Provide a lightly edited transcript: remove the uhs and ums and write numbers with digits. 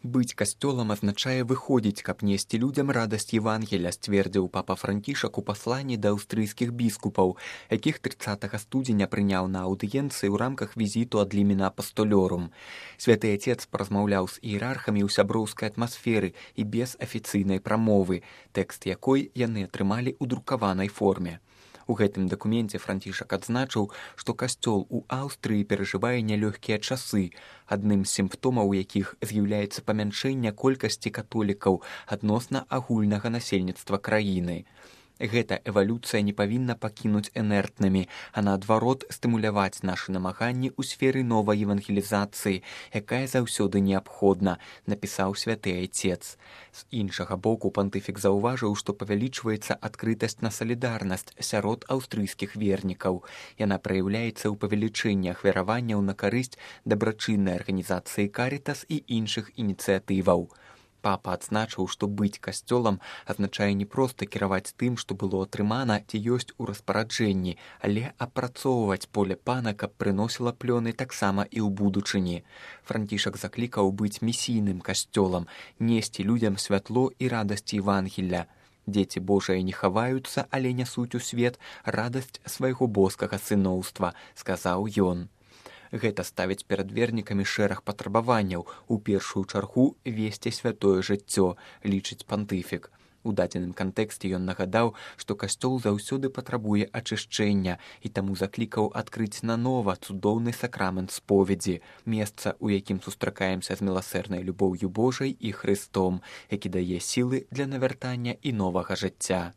Быць касцёлам азначае выходзіць, каб несці людзям радасць Евангеля, сцвердзіў папа Францішак у пасланні да аўстрыйскіх біскупаў, якіх 30 студзеня прыняў на аўдыенцыі ў рамках візіту ад лімена апастолёрум. Святы Отец паразмаўляў з іерархамі ў сяброўскай атмасферы і без афіцыйнай прамовы, тэкст якой яны атрымалі ў друкаванай форме. У гэтым дакуменце Францішак адзначыў, што касцёл у Аўстрыі перажывае нялёгкія часы, адным з сімптомаў якіх з'яўляецца памяншэнне колькасці католікаў адносна агульнага насельніцтва краіны. Гэта эвалюцыя не павінна пакінуць інертнымі, а наадварот стымуляваць нашы намаганні ў сферы новай евангелізацыі, якая заўсёды неабходна, напісаў святы Айцец. З іншага боку пантыфік заўважыў, што павялічваецца адкрытасць на салідарнасць сярод аўстрыйскіх вернікаў. Яна праяўляецца ў павелічэнні ахвяраванняў на карысць дабрачыннай арганізацыі Карітас і іншых ініцыятываў. Папа адзначыў, што быць касцёлам азначае не проста кіраваць тым, што было атрымана ці ёсць у распараджэнні, але апрацоўваць поле пана, каб прыносіла плёны таксама і ў будучыні. Францішак заклікаў быць місійным касцёлам, несці людзям святло і радасць Евангеля. Дзеці Божыя не хаваюцца, але нясуць у свет радасць свайго боскага сыноўства, сказаў ён. Гэта ставіць перад вернікамі шэраг патрабаванняў, у першую чаргу весці святое жыццё, лічыць пантыфік. У дадзеным кантэксце ён нагадаў, што касцёл заўсёды патрабуе ачышчэння і таму заклікаў адкрыць нанова цудоўны сакрамент споведзі, месца, у якім сустракаемся з міласэрнай любоўю Божай і Христом, які дае сілы для навяртання і новага жыцця.